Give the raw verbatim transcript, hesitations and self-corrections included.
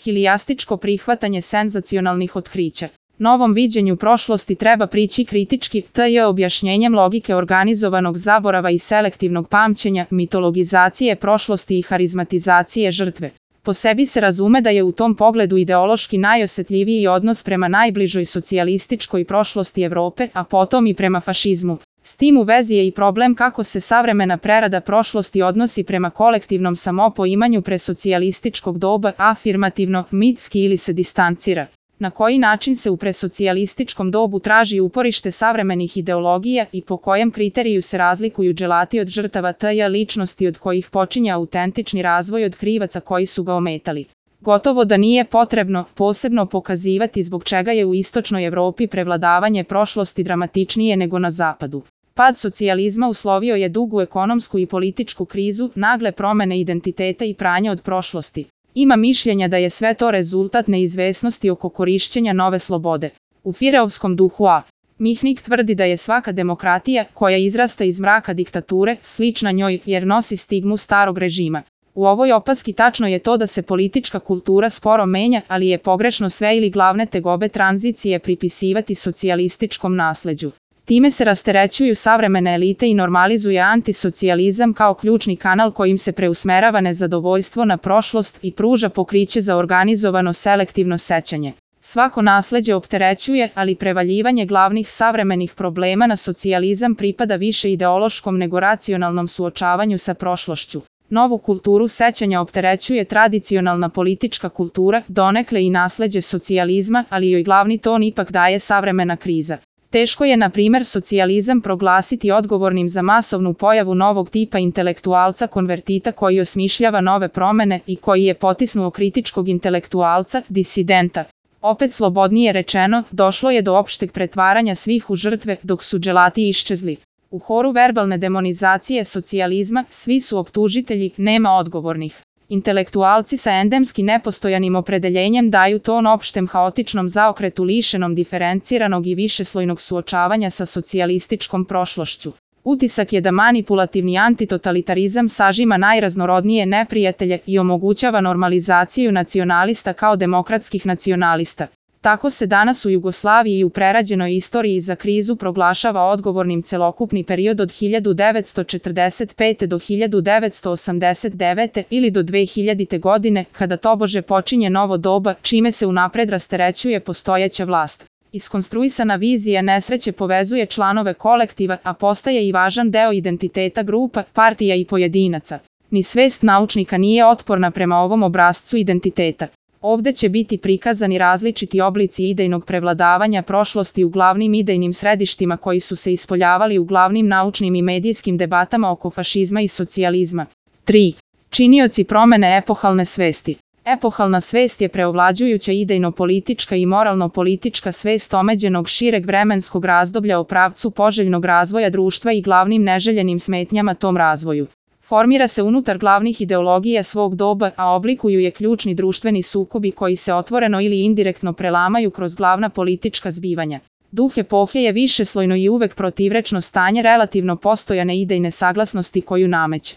Hilijastičko prihvatanje senzacionalnih otkrića. Novom viđenju prošlosti treba prići kritički, tj. objašnjenjem logike organizovanog zaborava i selektivnog pamćenja, mitologizacije prošlosti i harizmatizacije žrtve. Po sebi se razume da je u tom pogledu ideološki najosjetljiviji odnos prema najbližoj socijalističkoj prošlosti Evrope, a potom i prema fašizmu. S tim u vezi je i problem kako se savremena prerada prošlosti odnosi prema kolektivnom samopoimanju presocijalističkog doba, afirmativno, mitski ili se distancira. Na koji način se u presocijalističkom dobu traži uporište savremenih ideologija i po kojem kriteriju se razlikuju dželati od žrtava tj. ličnosti od kojih počinje autentični razvoj od krivaca koji su ga ometali. Gotovo da nije potrebno posebno pokazivati zbog čega je u istočnoj Evropi prevladavanje prošlosti dramatičnije nego na zapadu. Pad socijalizma uslovio je dugu ekonomsku i političku krizu, nagle promene identiteta i pranja od prošlosti. Ima mišljenja da je sve to rezultat neizvesnosti oko korišćenja nove slobode. U fireovskom duhu A. Mihnik tvrdi da je svaka demokratija, koja izrasta iz mraka diktature, slična njoj jer nosi stigmu starog režima. U ovoj opaski tačno je to da se politička kultura sporo menja, ali je pogrešno sve ili glavne tegobe tranzicije pripisivati socijalističkom nasleđu. Time se rasterećuju savremene elite i normalizuje antisocijalizam kao ključni kanal kojim se preusmerava nezadovoljstvo na prošlost i pruža pokriće za organizovano selektivno sećanje. Svako nasleđe opterećuje, ali prevaljivanje glavnih savremenih problema na socijalizam pripada više ideološkom nego racionalnom suočavanju sa prošlošću. Novu kulturu sećanja opterećuje tradicionalna politička kultura, donekle i nasleđe socijalizma, ali joj glavni ton ipak daje savremena kriza. Teško je, na primjer, socijalizam proglasiti odgovornim za masovnu pojavu novog tipa intelektualca konvertita koji osmišljava nove promene i koji je potisnuo kritičkog intelektualca, disidenta. Opet slobodnije rečeno, došlo je do opšteg pretvaranja svih u žrtve, dok su dželati iščezli. U horu verbalne demonizacije socijalizma svi su optužitelji, nema odgovornih. Intelektualci sa endemski nepostojanim opredeljenjem daju ton opštem haotičnom zaokretu lišenom diferenciranog i višeslojnog suočavanja sa socijalističkom prošlošću. Utisak je da manipulativni antitotalitarizam sažima najraznorodnije neprijatelje i omogućava normalizaciju nacionalista kao demokratskih nacionalista. Tako se danas u Jugoslaviji i u prerađenoj istoriji za krizu proglašava odgovornim celokupni period od hiljadu devetsto četrdeset pete do hiljadu devetsto osamdeset devete ili do dve hiljadite godine, kada tobože počinje novo doba, čime se unapred rasterećuje postojeća vlast. Iskonstruisana vizija nesreće povezuje članove kolektiva, a postaje i važan deo identiteta grupa, partija i pojedinaca. Ni svest naučnika nije otporna prema ovom obrascu identiteta. Ovde će biti prikazani različiti oblici idejnog prevladavanja prošlosti u glavnim idejnim središtima koji su se ispoljavali u glavnim naučnim i medijskim debatama oko fašizma i socijalizma. tri. Činioci promene epohalne svesti. Epohalna svest je preovlađujuća idejno-politička i moralno-politička svest omeđenog šireg vremenskog razdoblja o pravcu poželjnog razvoja društva i glavnim neželjenim smetnjama tom razvoju. Formira se unutar glavnih ideologija svog doba, a oblikuju je ključni društveni sukobi koji se otvoreno ili indirektno prelamaju kroz glavna politička zbivanja. Duh epohe je višeslojno i uvek protivrečno stanje relativno postojane idejne saglasnosti koju nameće.